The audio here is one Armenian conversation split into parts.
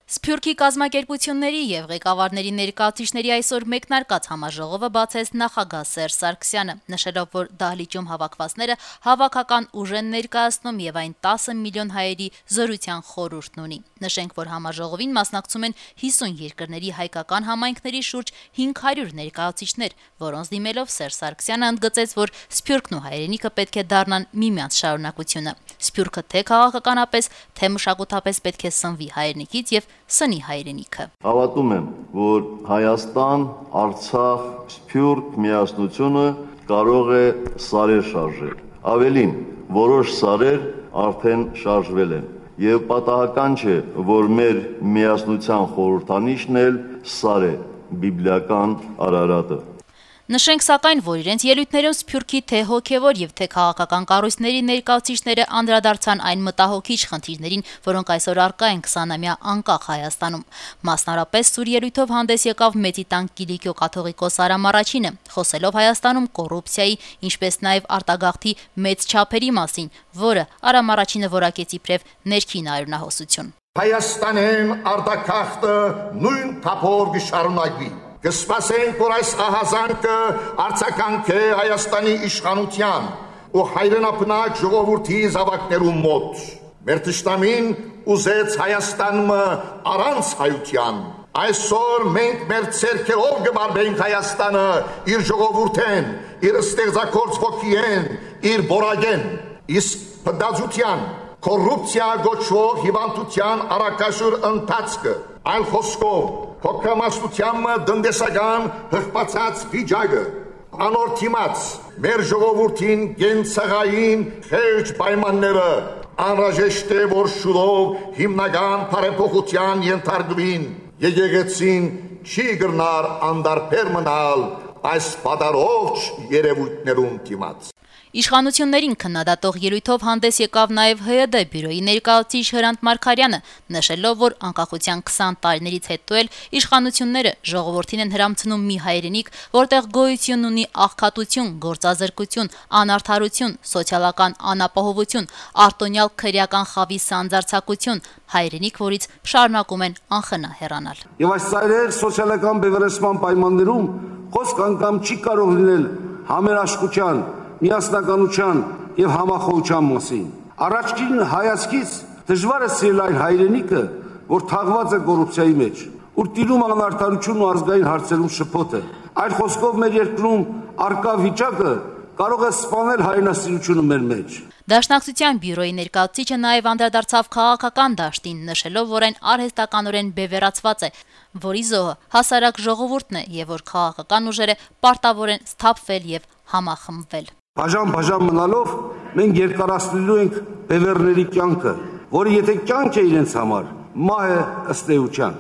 Սփյուռքի կազմակերպությունների եւ ղեկավարների ներկայացուցիչների այսօր մեկնարկած համաժողովը բացեց նախագահ Սերժ Սարգսյանը, նշելով, որ դահլիճում հավաքվածները հավաքական ուժ են ներկայացնում եւ այն 10 միլիոն հայերի զորության խորհուրդն ունի։ Նշենք, որ համաժողովին մասնակցում են 50 երկրների հայկական համայնքների շուրջ 500 ներկայացուցիչներ, որոնց դիմելով Սերժ Սարգսյանը ընդգծեց, որ Սփյուռքն ու հայրենիքը պետք է դառնան միմյանց շարունակությունը։ Սփյուռքը թե քաղաքականապես, թե մշակութապես պետք է սնվի հայրենիքից եւ սնի հայրենիքը։ Հավատում եմ, որ Հայաստան, Արցախ, Սփյուռք միասնությունը կարող է սարեր շարժել։ Ավելին, որոշ սարեր արդեն շարժվել են։ Եվ պատահական չէ, որ մեր միասնության խորհրդանիշն էլ սար է, բիբլիական Արարատը։ Նշենք սակայն, որ իրենց ելույթներում Սփյուռքի թե հոգևոր եւ թե քաղաքական կառույցների ներկայացուցիչները անդրադարձան այն մտահոգիչ խնդիրներին, որոնք այսօր առկա են 20-ամյա անկախ Հայաստանում։ Մասնարարպես սուր ելույթով հանդես եկավ Մեծի տան Կիլիկիո կաթողիկոս Արամ Արաչինը, խոսելով Հայաստանում կոռուպցիայի, ինչպես նաեւ արտագաղթի մեծ չափերի մասին, որը Արամ Արաչինը որակեց իբրև ներքին արյունահոսություն։ Հայաստանեն արտագաղթը նույն թափով կշարունակվի։ Կսպասենք, որ այս ահազանգը արձագանք է Հայաստանի իշխանության ու հայրենապնակ ժողովրդի զավակներու մոտ։ Մեր թշնամին ուզեց Հայաստանը առանց հայության։ Այսօր մենք մեր ցերքերով կբարբենք Հայաստանը իր ժողովուրդեն, իր ստեղծագործ ոգիեն, իր բորագեն, իսկ փդացության, կոռուպցիա գոչվող հիվանդության առակաշուր ընթացքը, այլ խոսքով Հոգամասնությամը դնդեսական հղպացած վիճակը, անորթիմաց, մեր ժողովուրդին գենցաղային խեղճ պայմանները, անհրաժեշտ է, որ շուտով հիմնական բարեփոխության ենթարկվին, եկեղեցին չի գրնար անդարբեր մնալ այս պատարող երևույթներում դիմաց։ Իշխանություններին քննադատող ելույթով հանդես եկավ նաև ՀՅԴ բյուրոյի ներկայացուցիչ Հրանտ Մարգարյանը, նշելով, որ անկախության 20 տարիներից հետո էլ իշխանությունները ժողովրդին են հրամցնում մի հայրենիք, որտեղ գոյություն ունի աղքատություն, գործազրկություն, անարդարություն, սոցիալական անապահովություն, արտոնյալ քրեական խավի սանձարձակություն, հայրենիք, որից շարունակում են անխնա հեռանալ։ Եվ այս ծայրեր սոցիալական բևեռացման պայմաններում խոսք անգամ չի կարող լինել համերաշխության, միասնականության եւ համախոհության մասին։ Առաջին հայացքից դժվար է սիրել այն հայրենիքը, որ թաղված է կոռուպցիայի մեջ, ուր տիրում անարդարությունն ու ազգային հարցերում շփոթը։ Այդ խոսքով մեր երկրում արկա վիճակը կարող է սպանել հայրենասիրությունը մեր մեջ։ Դաշնակցության բյուրոյի ներկայացուցիչը նաև անդրադարձավ քաղաքական դաշտին, նշելով, որ այն արհեստականորեն բևեռացված է, որի զոհը հասարակ ժողովուրդն է եւ որ քաղաքական ուժերը պարտավոր են սթափվել եւ համախմբվել։ Բաժան մնալով մենք երկարացնելու ենք բևեռների կյանքը, որը եթե կյանք է իրենց համար, մահ է ըստ էության։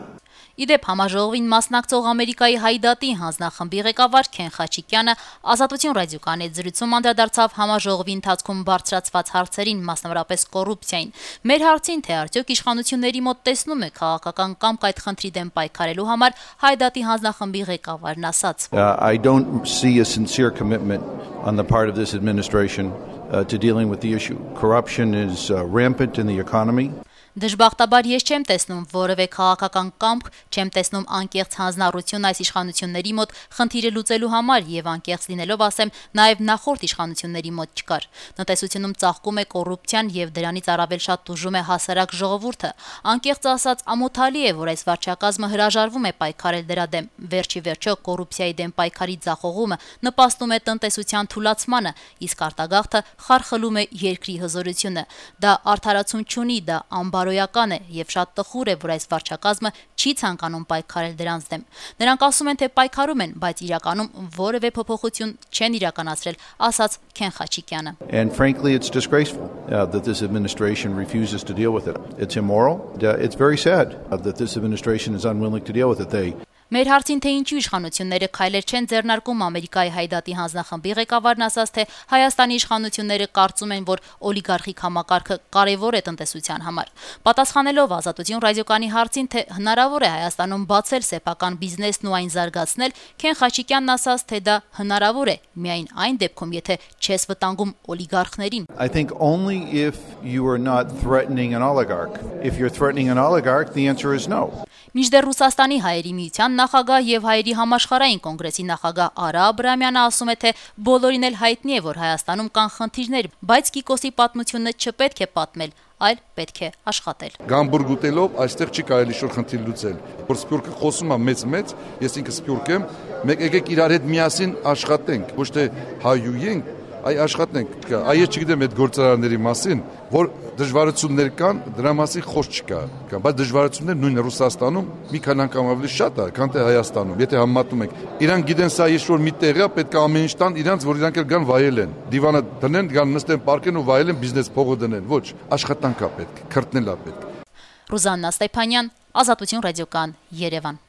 Իդեպ համաժողովին մասնակցող Ամերիկայի Հայդատի հանձնախմբի ղեկավար Քեն Խաչիկյանը Ազատություն ռադիոկայանի հետ զրույցում անդրադարձավ համաժողովի ընթացքում բարձրացված հարցերին, մասնավորապես կոռուպցիային։ Մեր հարցին, թե արդյոք իշխանությունների մոտ տեսնում է քաղաքական կամք այդ խնդրի դեմ պայքարելու համար, Հայդատի հանձնախմբի ղեկավարն ասաց. I don't see a sincere commitment on the part of this administration to dealing with the issue. Corruption is rampant in the economy. Դժբախտաբար ես չեմ տեսնում որևէ քաղաքական կամք, չեմ տեսնում անկեղծ հանձնառություն այս իշխանությունների մոտ խնդիրը լուծելու համար եւ անկեղծ լինելով ասեմ, նաեւ նախորդ իշխանությունների մոտ չկար։ Տնտեսությունում ծաղկում է կոռուպցիան եւ դրանից առավել շատ տուժում է հասարակ ժողովուրդը։ Անկեղծ ասած, ամոթալի է, որ այս վարչակազմը հրաժարվում է պայքարել դրա դեմ։ Վերջի վերջո կոռուպցիայի դեմ պայքարի ձախողումը նպաստում է տնտեսության թուլացմանը, իսկ արտագաղթը խարխլում է երկրի հզորությունը։ Դա արդարացում չունի, դա բարոյական է եւ շատ տխուր է, որ այս վարչակազմը չի ցանկանում պայքարել դրանց դեմ։ Նրանք ասում են, թե պայքարում են, բայց իրականում որևէ փոփոխություն չեն իրականացրել, ասաց Քեն Խաչիկյանը։ And frankly, it's disgraceful that this administration refuses to deal with it. It's immoral. It's very sad that this administration is unwilling to deal with it. Մեր հարցին, թե ինչու իշխանությունները քայլեր չեն ձեռնարկում Ամերիկայի Հայդատի հանձնախմբի ղեկավարն ասաց, թե Հայաստանի իշխանությունները կարծում են, որ օլիգարխիկ համակարգը կարևոր է տնտեսության համար։ Պատասխանելով Ազատություն ռադիոկայանի հարցին, թե հնարավոր է Հայաստանում բացել սեփական բիզնեսն ու այն զարգացնել, Քեն Խաչիկյանն ասաց, թե դա հնարավոր է միայն այն դեպքում, եթե չես վտանգում օլիգարխներին։ I think only if you are not threatening an oligarch. If you're threatening an oligarch, the answer is no. Մինչդեռ Ռուսաստանի հայերի միության նախագահ եւ հայերի համաշխարհային կոնգրեսի նախագահ Արա Աբրահամյանը ասում է, թե բոլորին էլ հայտնի է, որ Հայաստանում կան խնդիրներ, բայց Կիկոսի պատմությունը չպետք է պատմել, այլ պետք է աշխատել։ Գամբուրգ ուտելով այստեղ չի կարելի շուտ խնդիր լուծել։ Որ Սփյուռքը խոսում է մեծ, ես ինքը Սփյուռք եմ, մեկ եկեք իրար հետ միասին աշխատենք, ոչ թե հայույենք, այ աշխատենք։ Այ ես չգիտեմ այդ գործարանների մասին, որ դժվարություններ կան, դրա մասին խոսք չկա, բայց դժվարություններ նույն Ռուսաստանում մի քանի անգամ ավելի շատ է, քան թե Հայաստանում, եթե համեմատում ենք։ Իրանք գիտեն սա ինչ-որ մի տեղ է, պետք է ամեն ինչ տան իրանք, որ իրանք էլ գան վայելեն։ Դիվանը դնեն, գան նստեն, պարկեն ու վայելեն, բիզնես փողը դնեն։ Ոչ, աշխատանք է պետք, քրտնել է պետք։ Ռուզաննա Ստեփանյան, Ազատություն ռադիոկան, Երևան։